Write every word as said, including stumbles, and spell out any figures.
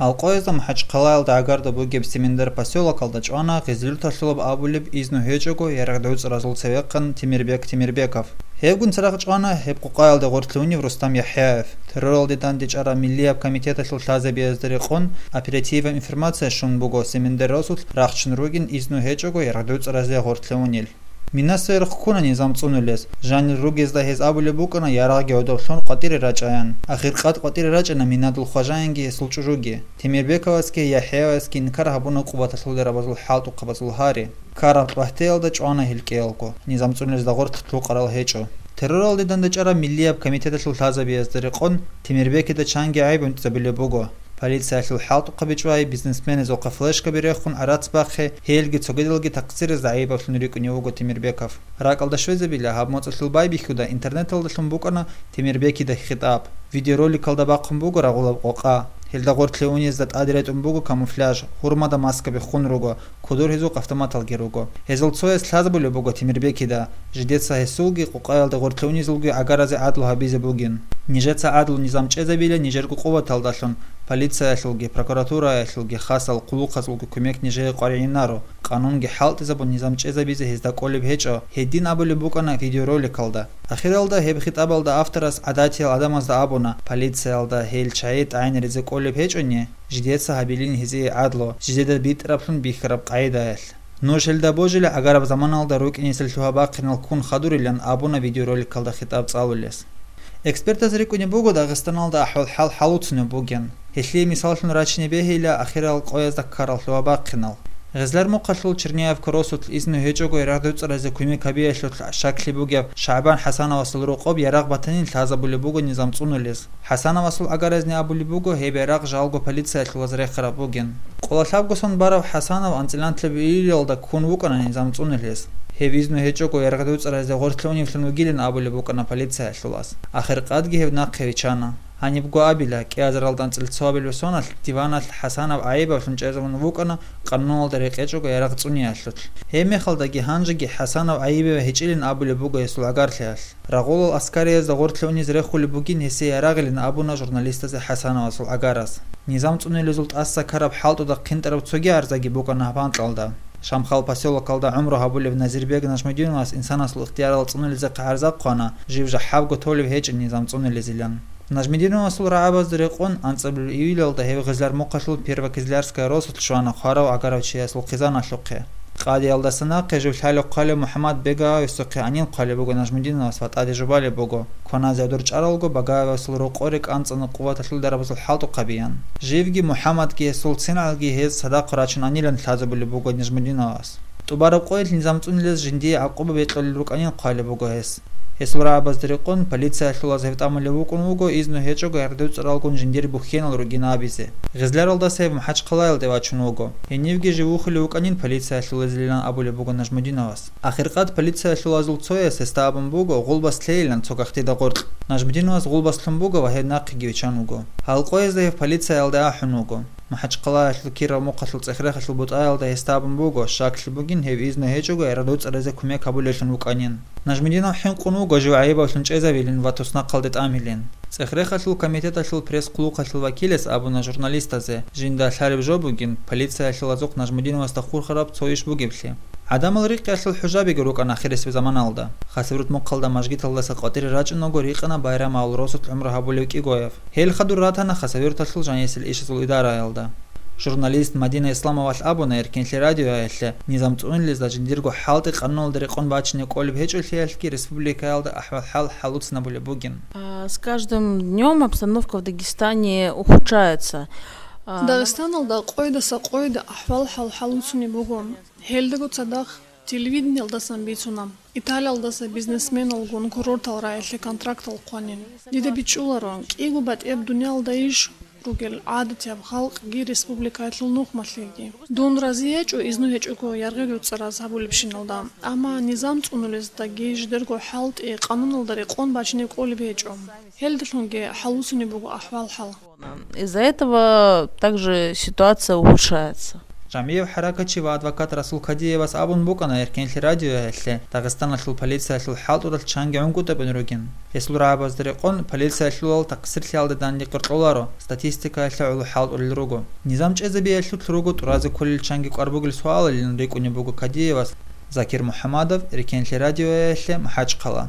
Алкъоязда МахӀачхъалаялда гӀагарда бугеб Семендар посёлокалда чӀвана гъезлъи-лъуталъулаб абулеб изну гьечӀого ярагъ-дуцӀразул цевехъан Темирбек Темирбеков. Гьевгун церехъ чӀвана гьеб къукъаялда гъорлъе унев Рустам ЯхӀяев. Терроралде дандечӀараб миллияб комитеталъул лъазабиязда рекъон оперативаб информация щун буго Семендар росулъ рахчун ругин изну гьечӀого ярагъ-дуцӀразе гъорлъе унел. Мина сверухъ ккуна низам цӀунулес. Жанир ругезда гьез абулеб букӀана ярагъги гӀодоблъун къватӀире рачӀаян. Ахиркъад къватӀире рачӀана Минадул хважаянги гьесул чӀужуги. Темирбековасги ЯхӀяевасги инкар гьабуна къуваталъул дарабазул хӀалтӀухъабазул гьари. Ккараб лъвагьтеялда чӀвана гьел кӀиялго. Низам цӀунулезда гъорлъ лъукъарал гьечӀо. Терроралде дандечӀараб миллияб комитеталъул лъазабиязда рекъон Темирбекида чанги гӀайиб унтӀизабулеб буго. Полициялъул хӀалтӀухъаби чӀвай, бизнесменазухъа флешкаби рехун гӀарац бахъи, гьелги цогидалги тахъсирезда гӀайибаблъун рикӀкӀунев вуго Темирбеков. РакӀалда щвезабила, гьаб моцӀалъул байбихьуда интернеталдалъун букӀана Темирбекида хитӀаб. Видеороликалда бахъун буго рагъулаб къокъа. Гьелда гъорлъе унезда тӀаде ретӀун буго камуфляж, гьурмада маскаби хун руго, кудур гьезухъ автоматалги руго. Гьезул цояс лъазабулеб буго Темирбекида, жидеца гьесулги къокъаялда гъорлъе унезулги гӀагаразе гӀадлу гьабизе бугин. Нижеца гӀадлу-низам чӀезабила нижерго къуваталдалъун, полициялъулги, прокуратураялъулги, хасал хъулухъазулги кумек нижее къваригӀинаро, къанунги хӀалтӀизабун низам чӀезабизе гьезда кӀолеб гьечӀо, гьедин абулеб букӀана видеороликалда. Ахиралда гьеб хитӀабалда авторас гӀадатиял гӀадамазда абуна, полициялда гьел чагӀи тӀагӀинаризе кӀолеб гьечӀони, жидеца гьабилин гьезие гӀадлу, жидеда битӀараблъун бихьараб къагӀидаялъ. Нуж гьелда божила гӀагараб заманалда рукӀинесел лъугьа-бахъинал ккун хадурилан абуна видеороликалда хитӀаб цӀалулес. Экспертаз рикӀкӀунеб буго Дагъистаналда ахӀвал-хӀал хӀалуцунеб бугин. Гьелъие мисаллъун рачине бегьила ахирал къоязда ккарал лъугьа-бахъинал. Гъезлар мухъалъул Черняевка росулъ изну гьечӀого ярагъ-дуцӀразе кумек гьабиялъулъ щаклъи бугеб ШагӀбан ХӀасановасул рокъоб ярагъ батанин лъазабулеб буго низам цӀунулез. ХӀасановасул гӀагаразни абулеб буго гьеб ярагъ жалго полициялъулаз рехараб бугин. Къоло лъабго сон барав ХӀасанов анцӀила нилъеда июлалда ккун вукӀана низам цӀунулез. Гьев изну гьечӀого ярагъ-дуцӀразе гъорлъе уневлъун вугилин абулеб букӀана полициялъулаз. Ахиркъадги гьев нахъе вичана. Гьанибго абила, кӀиазаралда анцӀила цоабилеб соналъ диваналъ ХӀасанов гӀайибаблъун чӀезабун вукӀана къануналда рекъечӀого ярагъ цӀуниялъулъ. Гьебмехалдаги гьанжеги ХӀасанов гӀайибав гьечӀилин абулеб буго гьесул гӀагарлъиялъ. Рагъулал аскариязда гъорлъе унез рехулеб бугин гьесие ярагъилин абуна журналистазе ХӀасановасул гӀагараз. Низам цӀунулезул тӀаса ккараб хӀалтӀуда хъинтӀараб цоги гӀарзаги букӀана гьаб анкьалда. Шамхал посёлокалда гӀумру гьабулев Назирбек Нажмудиновас инсанасул ихтиярал цӀунулезехъе гӀарза хъвана, жив жахӀабго толеб гьечӀин низам цӀунулезилан. Нажмудиновасул рагӀабазда рекъон анцӀабилеб июлалда гьев Гъезлар мухъалъул Первокизлярская росулъ щвана хварав гӀагарав чиясул хъизаналъухъе. Къадиялдаса нахъе жив лъалев-хъвалев МухӀаммад Бегаевасухъе гӀанин хъвалеб буго Нажмудиновас ва тӀаде жубалеб буго, кваназе гӀодор чӀаралго Багаевасул рокъоре кӀанцӀана къуваталъул дарабазул хӀалтӀухъабиян. Живги МухӀаммадги гьесул цинги гьез цадахъ рачун гӀанилан лъазабулеб буго Нажмудиновас. ТӀубараб къоялъ низам цӀунулез жиндие гӀакъуба бекьулел рукӀанин хъвалеб буго гьес. Гьесул рагӀабазда рекъон полициялъулаз гьев тӀамулев вукӀун вуго изну гьечӀого ярагъ-дуцӀралгун жиндир бухьенал ругин абизе. Гъезларалдаса гьев МахӀачхъалаялде вачун вуго. Гьенивги жив вухулев вукӀанин полициялъулазилилан абулеб буго Нажмудиновас. Ахиркъад полициялъулазул цояс гьесда абун буго гъулбас лъейилан цо гахтида гъоркь. Нажмудиновас гъулбас лъун буго ва гьев нахъеги виччан вуго. Гьал къоязда гьев полициялде ахӀун вуго. МахӀачхъалаялъул Киров мухъалъул ЦӀехрехалъул бутӀаялда гьесда абун буго, щаклъи бугин гьев изну гьечӀого ярагъ-дуцӀразе кумек гьабулеблъун вукӀанин. Нажмудинов хӀинкъун вуго жив гӀайибаблъун чӀезавилин ва туснахъалде тӀамилин. ЦӀехрехалъул комитеталъул пресс-хъулухъалъул вакилас абуна журналистазе, жинда лъалеб жо бугин, полициялъулазухъ Нажмудиновасда хурхараб цо иш бугеблъи. ГӀадамал рикъиялъул хӀужабиги рукӀана ахирисеб заманалда. Хасавюрт мухъалда мажгиталдаса къватӀире рачӀун вуго рикъана Байрамовал росулъ гӀумру гьабулев кӀигояв. Гьел хадур ратана Хасавюрталъул жанисел ишазул идараялда. Журналист Мадина Исламовалъ абуна Эркенлъи радиоялъе, низам цӀунулезда жиндирго хӀалтӀи къануналда рекъон бачине кӀолеб гьечӀолъиялъги республикаялда ахӀвал-хӀал хӀалуцинабулеб бугин. А, с каждым днём обстановка в Дагестане ухудшается. А, Дагъистаналда къойдаса къойда ахӀвал-хӀал хӀалуцунеб буго. Гьелдаго цадахъ телевидениялдасан бицуна, Италиялдаса бизнесменалгун курортал рагӀилъе контрактал хъванин. Дида бичӀчӀуларо, кӀиго батӀияб дуниялда иш ругел гӀадатияб халкъги республикаялъул нухмалъиги. Дун рази гьечӀо изну гьечӀого ярагъ-дуцӀраз гьабулебщиналда, амма низам цӀунулездаги жидерго хӀалтӀи къануналда рекъон бачине кӀолеб гьечӀо. Гьелдалъунги хӀалуцунеб буго ахӀвал-хӀал. Из-за этого также ситуация ухудшается. ЖамигӀев хӀаракатчи ва адвокат Расул Кадиевас абун букӀана Эркенлъи радиоялъе Дагъистаналъул полициялъул хӀалтӀудал чанги гӀунгутӀабун ругин. Гьесул рагӀабазда рекъон, полициялъулал тахъсирлъиялда данде къоркьоларо, статистикаялъе гӀоло хӀалтӀулел руго. Низам чӀезабиялъулъ руго тӀуразе кколел чанги кӀвар бугел суалалин рикӀкӀунеб буго Кадиевас. Закир МухӀамадов, Эркенлъи радиоялъе, МахӀачхъала.